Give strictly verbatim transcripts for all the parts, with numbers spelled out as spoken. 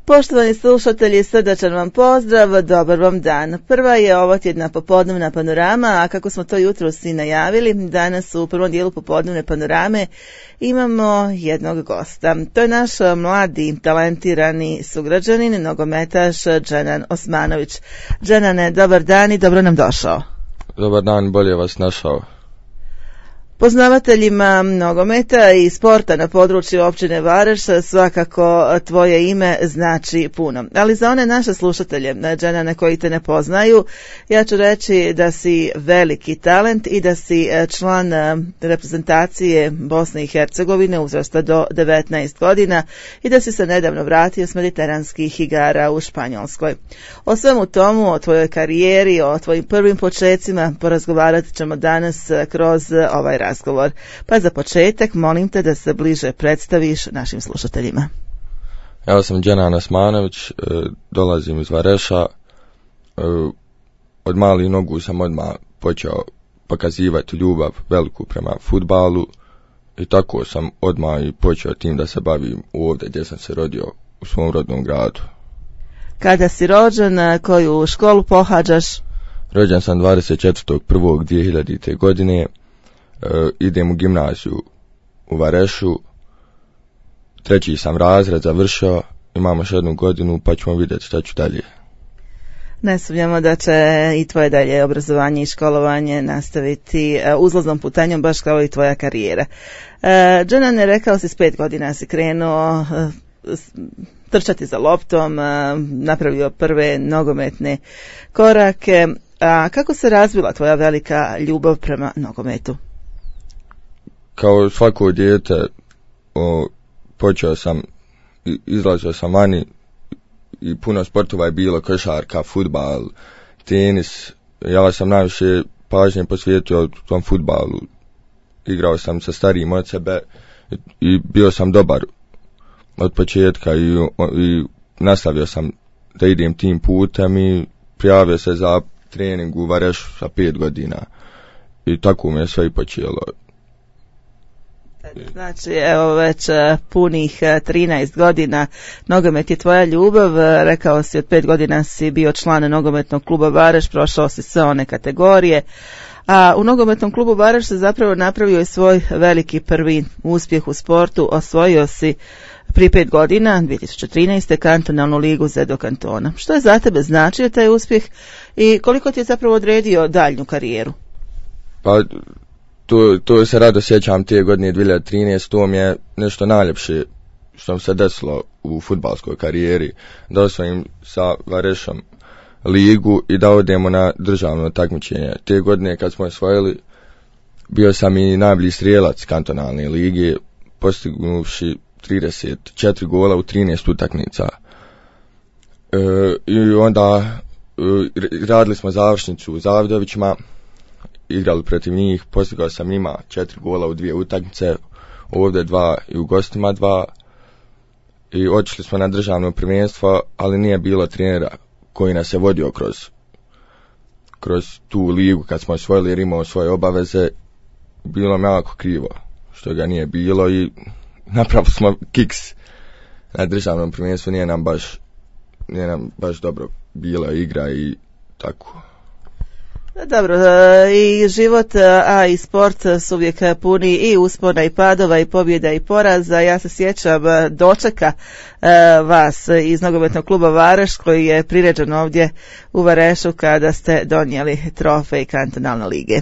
Poštovani slušatelji, srdačan vam pozdrav, dobar vam dan. Prva je ovo tjedna popodnevna panorama, a kako smo to jutros i najavili, danas u prvom dijelu popodnevne panorame imamo jednog gosta. To je naš mladi, talentirani sugrađanin, nogometaš Dženan Osmanović. Dženane, dobar dan i dobro nam došao. Dobar dan, bolje vas našao. Poznavateljima nogometa i sporta na području općine Vareš svakako tvoje ime znači puno. Ali za one naše slušatelje, Dženane, koji te ne poznaju, ja ću reći da si veliki talent i da si član reprezentacije Bosne i Hercegovine uzrasta do devetnaest godina i da si se nedavno vratio s mediteranskih igara u Španjolskoj. O svemu tomu, o tvojoj karijeri, o tvojim prvim počecima porazgovarat ćemo danas kroz ovaj razgovor. Pa za početak molim te da se bliže predstaviš našim slušateljima. Ja sam Dženan Osmanović, dolazim iz Vareša. Od malih nogu sam odmah počeo pokazivati ljubav veliku prema fudbalu i tako sam odmah i počeo tim da se bavim ovdje gdje sam se rodio, u svom rodnom gradu. Kada si rođen, koju školu pohađaš? Rođen sam dvadeset četvrtog prvog dvije hiljadite. godine. Uh, idem u gimnaziju u Varešu, treći sam razred završio, imamo još jednu godinu pa ćemo vidjeti šta ću dalje. Ne sumnjamo da će i tvoje dalje obrazovanje i školovanje nastaviti uh, uzlaznom putanjom baš kao i tvoja karijera. Uh, Dženan, je rekao si s pet godina si krenuo uh, trčati za loptom, uh, napravio prve nogometne korake. A kako se razvila tvoja velika ljubav prema nogometu? Kao svako dijete o, počeo sam, izlazio sam vani i puno sportova je bilo, košarka, fudbal, tenis. Ja sam najviše pažnje posvetio tom fudbalu. Igrao sam sa starijim od sebe i, i bio sam dobar od početka i, i nastavio sam da idem tim putem i prijavio se za trening u Varešu sa pet godina i tako mi je sve i počelo. Znači, evo već punih trinaest godina nogomet je tvoja ljubav. Rekao si od pet godina si bio član nogometnog kluba Vareš, prošao si sve one kategorije, a u nogometnom klubu Vareš se zapravo napravio i svoj veliki prvi uspjeh u sportu. Osvojio si prije pet godina, dvije tisuće trinaeste. kantonalnu ligu Zedo kantona. Što je za tebe značio taj uspjeh i koliko ti je zapravo odredio daljnju karijeru? Pa to, to se rado sjećam te godine dvije tisuće trinaeste. To mi je nešto najljepše što mi se desilo u fudbalskoj karijeri, da osvojim sa Varešom ligu i da odemo na državno takmičenje. Te godine kad smo osvojili, bio sam i najbolji strijelac kantonalne lige, postignuši trideset četiri gola u trinaest utakmica. E, I onda e, radili smo završnicu u Zavidovićima, igrali protiv njih, postigao sam njima četiri gola u dvije utakmice, ovdje dva i u gostima dva. I otišli smo na državno prvenstvo, ali nije bilo trenera koji nas je vodio kroz, kroz tu ligu kad smo osvojili jer imao svoje obaveze. Bilo mi jako krivo što ga nije bilo i napravili smo kiks na državnom prvenstvu, nije nam baš, nije nam baš dobro bila igra i tako. Dobro, i život, a i sport su uvijek puni i uspona i padova i pobjeda i poraza. Ja se sjećam dočeka vas iz nogometnog kluba Vareš koji je priređen ovdje u Varešu kada ste donijeli trofej kantonalne lige.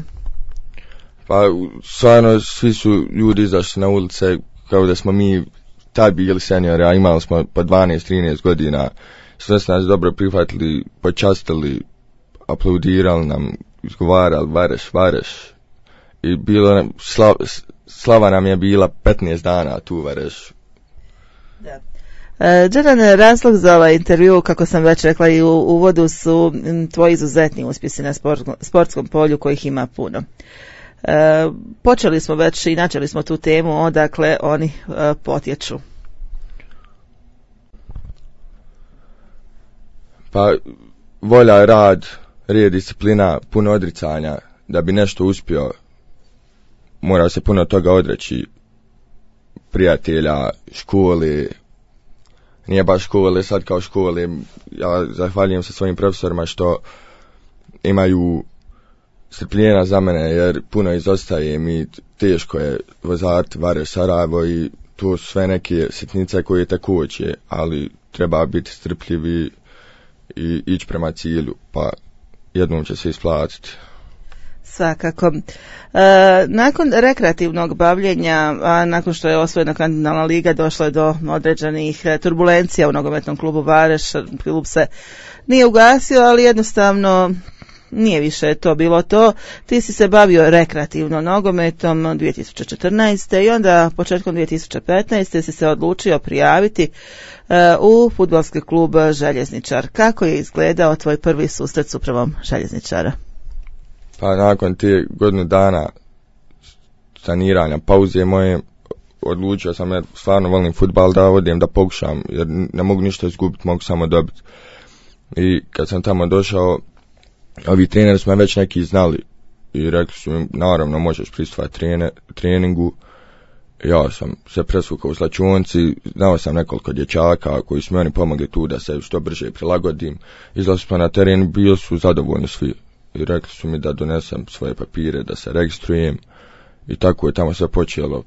Pa stvarno svi su ljudi izašli na ulice kao da smo mi tad bili seniori, a imali smo po dvanaest trinaest godina. Sve su nas dobro prihvatili, počastili, aplaudirali nam, izgovarali Vareš, Vareš. I bilo nam, sla, slava nam je bila petnaest dana tu u Varešu. Da. Dženan, razlog za ovaj intervju, kako sam već rekla i u uvodu, su tvoji izuzetni uspjesi na sport, sportskom polju kojih ima puno. E, počeli smo već i načeli smo tu temu odakle oni e, potječu. Pa volja, rad, red, disciplina, puno odricanja. Da bi nešto uspio, mora se puno toga odreći, prijatelja, škole, nije baš škole, sad kao škole, ja zahvaljujem se svojim profesorima što imaju strpljenja za mene, jer puno izostaje mi, teško je vozati Vareš Sarajevo i to su sve neke sitnice koje te koče, ali treba biti strpljiv i, i ići prema cilju, pa jednom će se isplatiti. Svakako. E, nakon rekreativnog bavljenja, a nakon što je osvojena kontinentalna liga, došlo je do određenih turbulencija u nogometnom klubu Vareš. Klub se nije ugasio, ali jednostavno nije više to bilo to. Ti si se bavio rekreativno nogometom dvije tisuće četrnaeste. i onda početkom dvije tisuće petnaeste. si se odlučio prijaviti e, u fudbalski klub Željezničar. Kako je izgledao tvoj prvi susret s upravom Željezničara? Pa nakon te godinu dana saniranja, pauze moje, odlučio sam, jer stvarno volim fudbal, da odem da pokušam, jer ne mogu ništa izgubiti, mogu samo dobiti. I kad sam tamo došao, ovi treneri smo već neki znali i rekli su mi, naravno možeš pristupati treningu. Ja sam se presvukao u slačionci, znao sam nekoliko dječaka koji su mi oni pomogli tu da se što brže prilagodim. Izlazili smo na teren, bili su zadovoljni svi i rekli su mi da donesem svoje papire, da se registrujem, i tako je tamo sve počelo.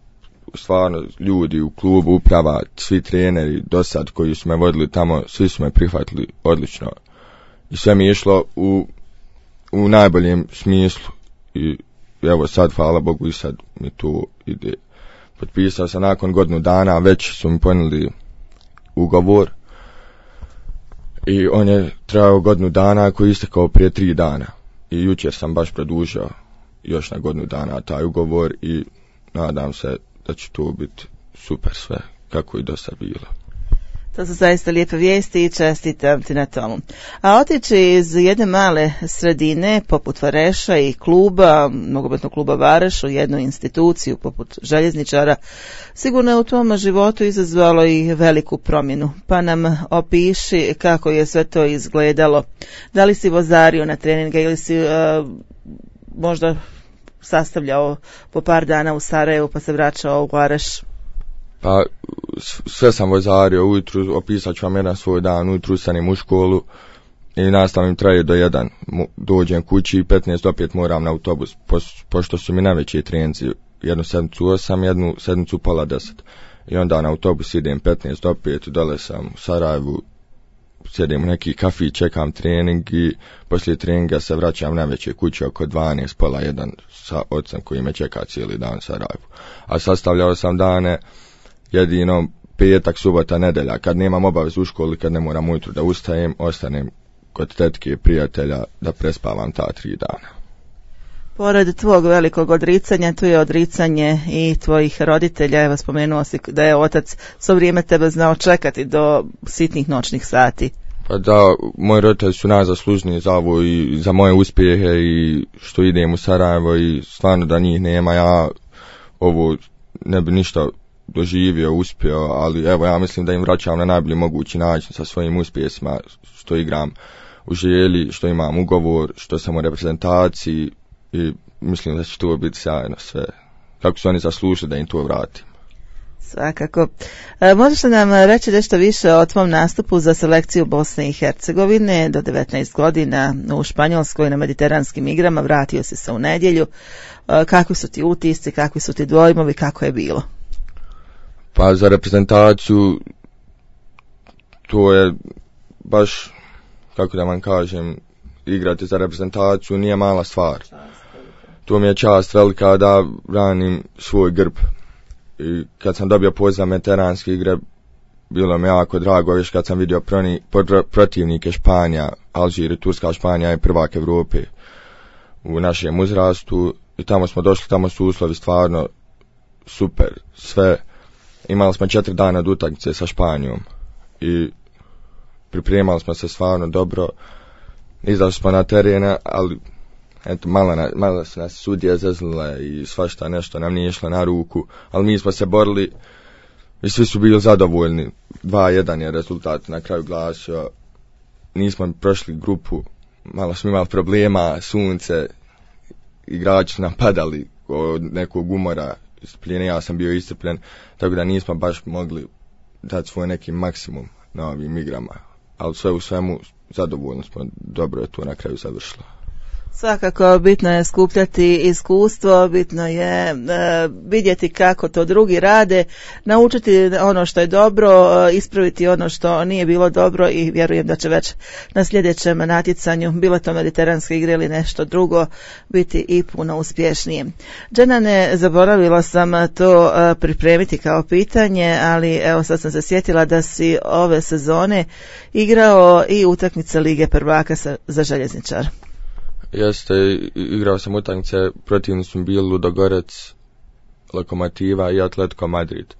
Stvarno, ljudi u klubu, uprava, svi treneri do sad koji su me vodili tamo, svi su me prihvatili odlično i sve mi je išlo u, u najboljem smislu. I evo sad, hvala Bogu, i sad mi tu ide. Potpisao sam nakon godinu dana, već su mi ponijeli ugovor i on je trajao godinu dana, koji je istekao prije tri dana. I jučer sam baš produžio još na godinu dana taj ugovor i nadam se da će to biti super sve, kako i do sad bilo. To su zaista lijepe vijesti i čestitam ti na tomu. A otići iz jedne male sredine poput Vareša i kluba, nogometnog kluba Vareš, u jednu instituciju poput Željezničara, sigurno je u tom životu izazvalo i veliku promjenu. Pa nam opiši kako je sve to izgledalo. Da li si vozario na treninge ili si uh, možda sastavljao po par dana u Sarajevu pa se vraćao u Vareš? Pa sve sam vozario, ujutru opisat ću vam jedan svoj dan, ujutru stanem u školu i nastavim traje do jedan, dođem kući i petnaest opet moram na autobus, po, pošto su mi najveći treninzi, jednu sedmicu osam, jednu sedmicu pola deset, i onda na autobus idem petnaest opet, dole sam u Sarajevu, sjedim u neki kafić, čekam trening i poslije treninga se vraćam na veće kuće oko dvanaest, pola jedan sa ocem koji me čeka cijeli dan u Sarajevu. A sastavljao sam dane jedino petak, subota, nedelja, kad nemam obavezu u školi, kad ne moram ujutru da ustajem, ostanem kod tetke i prijatelja da prespavam ta tri dana. Pored tvog velikog odricanja, tu je odricanje i tvojih roditelja. Evo, spomenuo si da je otac svo vrijeme tebe znao čekati do sitnih noćnih sati. Pa da, moji roditelji su najzaslužniji za ovo i za moje uspjehe i što idem u Sarajevo, i stvarno da njih nema, ja ovo ne bi ništa doživio, uspio, ali evo, ja mislim da im vraćam na najbolji mogući način sa svojim uspjesima, što igram u Želji, što imam ugovor, što sam u reprezentaciji, i mislim da će to biti sjajno sve. Kako su oni zaslužili da im to vratim. Svakako. E, možeš li nam reći nešto više o tvom nastupu za selekciju Bosne i Hercegovine do devetnaest godina u Španjolskoj na mediteranskim igrama? Vratio si se u nedjelju. E, kakvi su ti utisci, kakvi su ti dojmovi, kako je bilo? Pa za reprezentaciju to je baš, kako da vam kažem, igrati za reprezentaciju nije mala stvar. To mi je čast velika da branim svoj grb. I kad sam dobio poziv za mediteranske igre, bilo mi jako drago, još kad sam vidio proni, protivnike Španija, Alžir i Turska. Španija je prvak Evrope u našem uzrastu i tamo smo došli, tamo su uslovi stvarno super, sve. Imali smo četiri dana od utakmice sa Španijom i pripremali smo se stvarno dobro. Izašli smo na terene, ali eto, malo, na, malo su nas sudije zeznule i svašta nešto nam nije išlo na ruku, ali mi smo se borili i svi su bili zadovoljni. dva jedan je rezultat na kraju glasio. Nismo prošli grupu, malo smo imali problema, sunce, igrači su nam padali od nekog umora, iscrpljenja, ja sam bio iscrpljen, tako da nismo baš mogli dati svoj neki maksimum. na ovim igrama. Ali sve u svemu zadovoljno smo, dobro je to na kraju završilo. Svakako bitno je skupljati iskustvo, bitno je e, vidjeti kako to drugi rade, naučiti ono što je dobro, e, ispraviti ono što nije bilo dobro i vjerujem da će već na sljedećem natjecanju, bilo to mediteranske igre ili nešto drugo, biti i puno uspješnije. Dženane, zaboravila sam to e, pripremiti kao pitanje, ali evo sad sam se sjetila da si ove sezone igrao i utakmice Lige prvaka sa, za Željezničar. Jeste, igrao sam utakmice, protivni su bili Ludogorec, Lokomotiva i Atletico Madrid.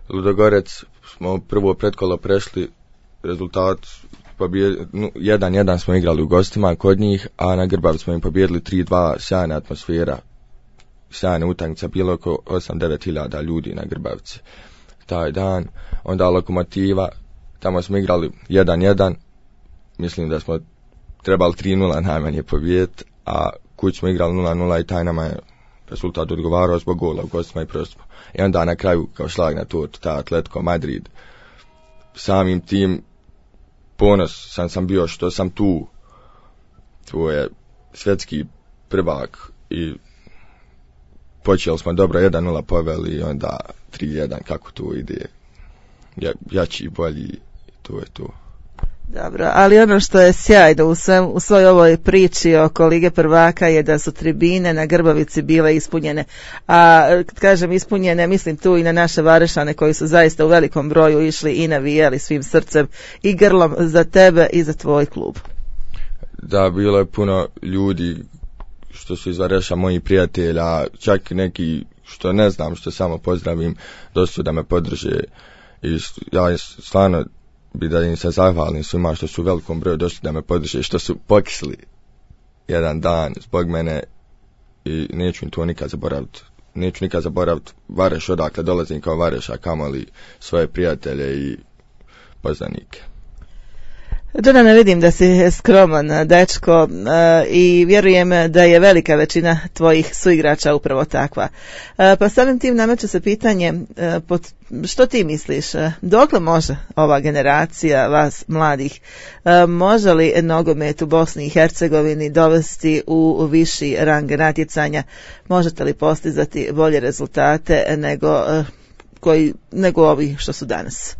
Ludogorec smo prvo pretkolo prešli, rezultat jedan jedan smo igrali u gostima kod njih, a na Grbavi smo im pobjedili tri dva, sjajna atmosfera, sjajna utakmica, bilo oko osam do devet hiljada ljudi na Grbavici taj dan. Onda Lokomotiva, tamo smo igrali jedan jedan, mislim da smo trebali tri nula najmanje pobijeti, a kuć smo igrali nula nula i taj nama je rezultat odgovarao zbog gola u gostima i prosto. I onda na kraju kao šlag na tortu ta Atletico Madrid. Samim tim ponos sam sam bio što sam tu. To je svjetski prvak i počeli smo dobro jedan nula poveli i onda tri jedan kako to ide. Ja, jači i bolji, to je to. Dobro, ali ono što je sjajno u, svem, u svoj ovoj priči oko Lige prvaka je da su tribine na Grbavici bile ispunjene. A kažem ispunjene, mislim tu i na naše Varešane koji su zaista u velikom broju išli i navijali svim srcem i grlom za tebe i za tvoj klub. Da, bilo je puno ljudi što su iz Vareša, moji prijatelja, čak neki što ne znam, što samo pozdravim, dosta da me podrže i ja stvarno bi da im se zahvalim svima što su u velikom broju došli da me podrže, što su pokisli jedan dan zbog mene i neću im to nikad zaboraviti. Neću nikad zaboraviti Vareš odakle dolazim kao Vareša, kamoli svoje prijatelje i poznanike. Dženane, vidim da si skroman dečko i vjerujem da je velika većina tvojih suigrača upravo takva. Pa samim tim nameće se pitanje, što ti misliš, dokle može ova generacija vas mladih, može li nogomet u Bosni i Hercegovini dovesti u viši rang natjecanja, možete li postizati bolje rezultate nego, koji, nego ovi što su danas?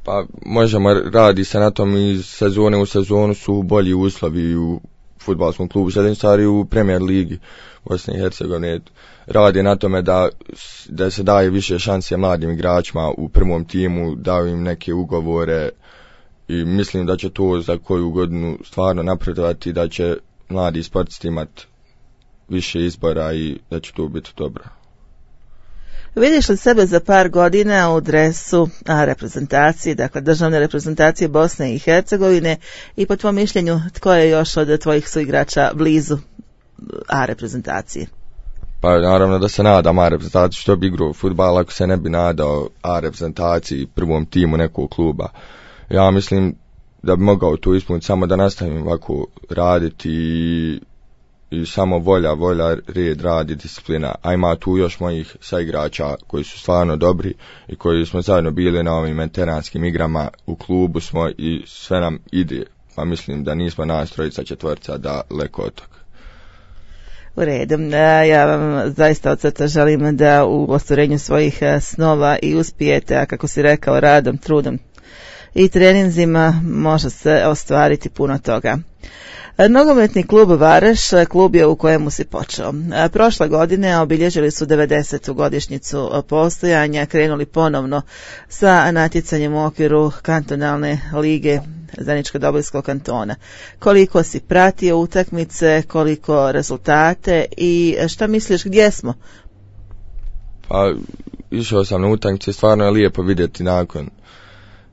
Pa možemo, radi se na tom iz sezone u sezonu su bolji uslovi u fudbalskom klubu Željezničar i u Premier ligi Bosne i Hercegovine. Radi na tome da, da se daje više šanse mladim igračima u prvom timu, daju im neke ugovore i mislim da će to za koju godinu stvarno napredovati, da će mladi sportisti imati više izbora i da će to biti dobro. Vidiš li sebe za par godina u dresu a, reprezentacije, dakle državne reprezentacije Bosne i Hercegovine i po tvom mišljenju tko je još od tvojih suigrača blizu A reprezentacije? Pa naravno da se nadam A reprezentaciji, što bi igrao fudbal ako se ne bi nadao A reprezentaciji, prvom timu nekog kluba. Ja mislim da bi mogao to ispuniti samo da nastavim ovako raditi i i samo volja, volja, red, radi, disciplina, a ima tu još mojih saigrača koji su stvarno dobri i koji smo zajedno bili na ovim mediteranskim igrama, u klubu smo i sve nam ide, pa mislim da nismo nas trojica četvorca da leko od toga. U redu, ja vam zaista od srca želim da u ostvarenju svojih snova i uspijete, a kako si rekao, radom, trudom i treninzima može se ostvariti puno toga. Nogometni klub Vareš, klub je u kojemu si počeo. Prošle godine obilježili su devedesetu godišnjicu postojanja, krenuli ponovno sa natjecanjem u okviru kantonalne lige Zeničko-Dobojskog kantona. Koliko si pratio utakmice, koliko rezultate i šta misliš gdje smo? Pa išao sam na utakmice, stvarno je lijepo vidjeti nakon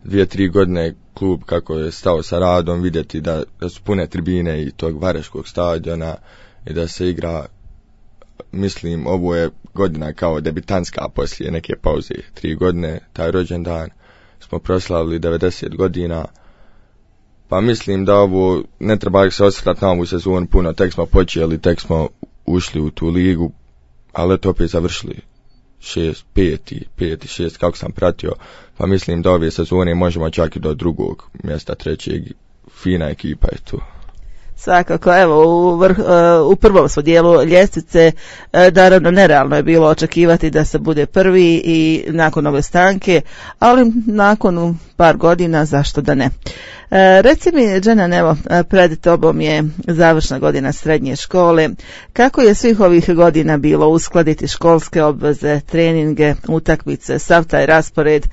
dvije, tri godine klub kako je stao sa radom, vidjeti da, da su pune tribine i tog vareškog stadiona i da se igra, mislim, ovo je godina kao debitanska poslije neke pauze, tri godine, taj rođendan smo proslavili devedeset godina, pa mislim da ovo ne treba se osvrtati na ovu sezonu puno, tek smo počeli, tek smo ušli u tu ligu, ali to opet završili šest, peti, peti, šest, kako sam pratio, pa mislim da ove sezone možemo čak i do drugog mjesta, trećeg, fina ekipa je tu. Svakako, evo, u, vrh, u prvom smo dijelu ljestvice, naravno nerealno je bilo očekivati da se bude prvi i nakon ove stanke, ali nakon par godina zašto da ne. Reci mi, Dženan, evo, pred tobom je završna godina srednje škole. Kako je svih ovih godina bilo uskladiti školske obveze, treninge, utakmice, sav taj raspored?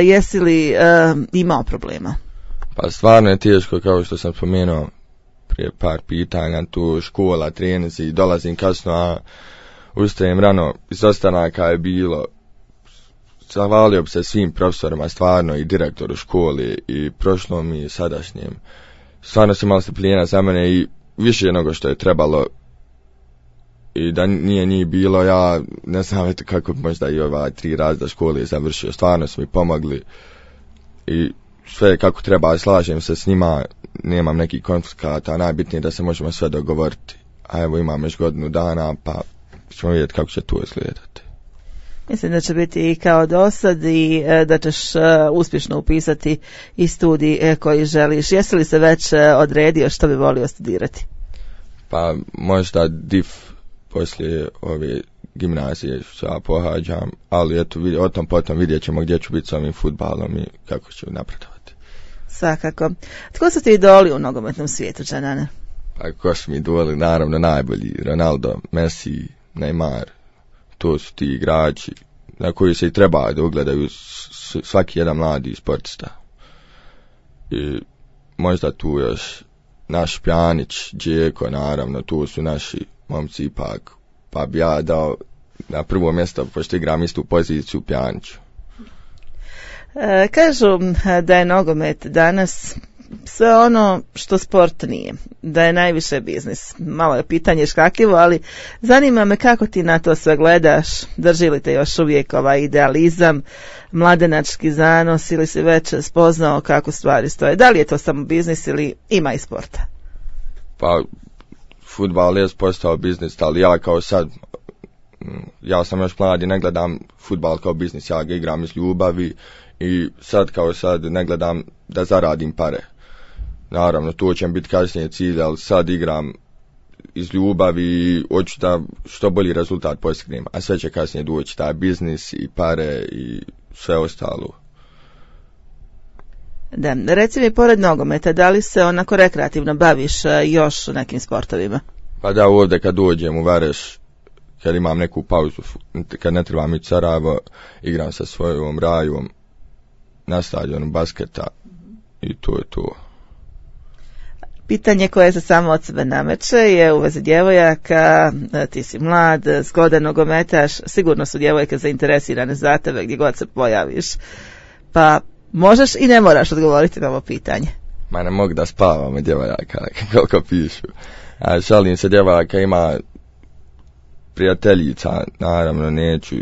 Jesi li imao problema? Pa stvarno je teško, kao što sam spomenuo prije par pitanja, tu škola, trenizi, dolazim kasno, a ustajem rano, izostanaka je bilo. Zahvalio bi se svim profesorima, stvarno, i direktoru škole, i prošlom i sadašnjem. Stvarno su imali strpljenja za mene i više nego što je trebalo. I da nije njih bilo, ja ne znam kako možda i ova tri razreda škole završio. Stvarno su mi pomogli i sve kako treba, slažem se s njima, nemam nekih konflikata, najbitnije je da se možemo sve dogovoriti. A evo imam još godinu dana, pa ćemo vidjeti kako će to izgledati. Mislim da će biti i kao do sad i da ćeš uspješno upisati i studij koji želiš. Jesi li se već odredio što bi volio studirati? Pa možda D I F poslije ove gimnazije što ja pohađam, ali eto, o tom potom vidjet ćemo gdje ću biti s ovim fudbalom i kako ću napredovati. Svakako. Tko su ti idoli u nogometnom svijetu, Dženane? Pa ko su mi idoli? Naravno najbolji. Ronaldo, Messi, Neymar. To su ti igrači na koji se i treba da ugledaju svaki jedan mladi sportista. I možda tu još naš Pjanić, Džeko, naravno, tu su naši momci ipak. Pa bi ja dao na prvo mjesto, pošto igram istu poziciju, Pjaniću. E, kažu da je nogomet danas sve ono što sport nije, da je najviše biznis. Malo je pitanje škakljivo, ali zanima me kako ti na to sve gledaš, drži li te još uvijek ovaj idealizam, mladenački zanos ili si već spoznao kako stvari stoje. Da li je to samo biznis ili ima i sporta? Pa, fudbal je postao biznis, ali ja kao sad, ja sam još mladi, ne gledam fudbal kao biznis, ja ga igram iz ljubavi i sad kao sad ne gledam da zaradim pare. Naravno, to će biti kasnije cilj, ali sad igram iz ljubavi i hoću da što bolji rezultat postignem, a sve će kasnije doći, taj biznis i pare i sve ostalo. Da, reci mi, pored nogometa, da li se onako rekreativno baviš još nekim sportovima? Pa da, ovdje kad dođem u Vareš, kad imam neku pauzu, kad ne trebam ići Sarajevo, igram sa svojom Rajom na stadionu basketa i to je to. Pitanje koje se samo od sebe nameće je u vezi djevojaka, ti si mlad, zgodan nogometaš, sigurno su djevojke zainteresirane za tebe gdje god se pojaviš, pa možeš i ne moraš odgovoriti na ovo pitanje. Ma ne mogu da spavam od djevojaka, koliko pišu. A šalim se, djevojaka ima prijateljica, naravno neću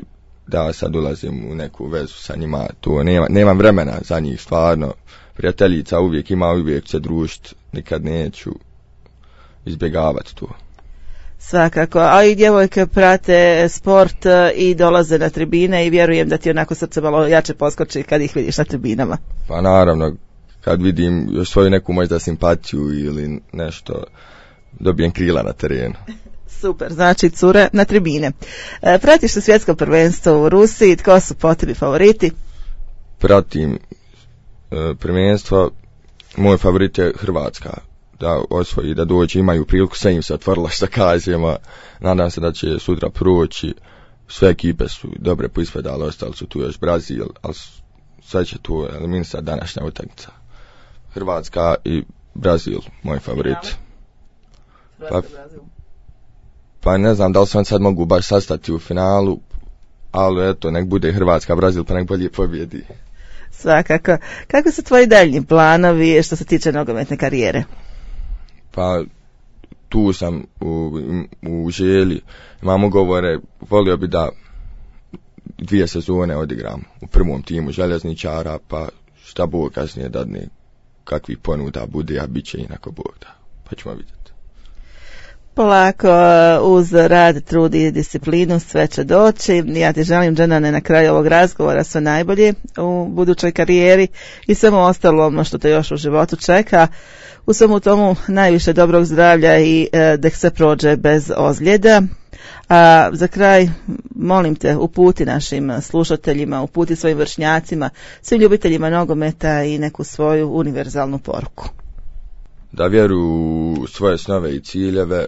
da sad ulazim u neku vezu sa njima, tu nema, nemam vremena za njih stvarno. Prijateljica uvijek ima, uvijek se družiti, nikad neću izbjegavati to. Svakako, a i djevojke prate sport i dolaze na tribine i vjerujem da ti onako srce malo jače poskoči kad ih vidiš na tribinama. Pa naravno, kad vidim još svoju neku možda simpatiju ili nešto, dobijem krila na terenu. Super, znači cure na tribine. E, pratiš li svjetsko prvenstvo u Rusiji, tko su po tebi favoriti? Pratim e, prvenstvo, moj favorit je Hrvatska, da osvoji, da dođe, imaju priliku, sve im se otvorilo što kažemo, nadam se da će sutra proći, sve ekipe su dobre poispredale, ostali su tu još Brazil, ali sve će tu eliminisati današnja utakmica. Hrvatska i Brazil, moj favorit. Pa, pa ne znam da li se on sad mogu baš sastati u finalu, ali eto, nek bude Hrvatska, Brazil, pa nek bolje pobjedi. Svakako. Kako su tvoji daljnji planovi što se tiče nogometne karijere? Pa tu sam u, u želji, imam ugovore, volio bi da dvije sezone odigram u prvom timu željezničara, pa šta Bog kasnije dadne, kakvih ponuda bude, a bit će inako Bog da, pa ćemo vidjeti. Polako, uz rad, trud i disciplinu sve će doći. Ja ti želim, Dženane, na kraju ovog razgovora sve najbolje u budućoj karijeri i svemu ostalom što te još u životu čeka. U svemu tomu najviše dobrog zdravlja i e, da se prođe bez ozljeda. A za kraj, molim te, uputi našim slušateljima, uputi svojim vršnjacima, svim ljubiteljima nogometa i neku svoju univerzalnu poruku. Da vjeruju u svoje snove i ciljeve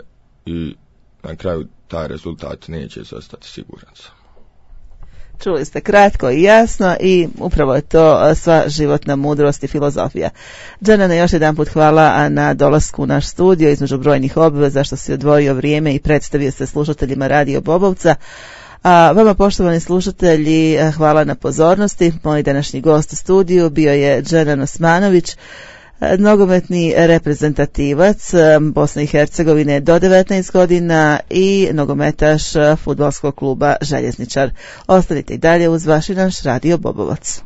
i na kraju taj rezultat neće zostati siguran sam. Čuli ste kratko i jasno i upravo je to sva životna mudrost i filozofija. Dženane, još jedan put hvala na dolasku u naš studio između brojnih obveza što si odvojio vrijeme i predstavio se slušateljima Radio Bobovca. A vama, poštovani slušatelji, hvala na pozornosti. Moj današnji gost u studiju bio je Dženan Osmanović, nogometni reprezentativac Bosne i Hercegovine do devetnaest godina i nogometaš fudbalskog kluba Željezničar. Ostanite i dalje uz vaš i naš Radio Bobovac.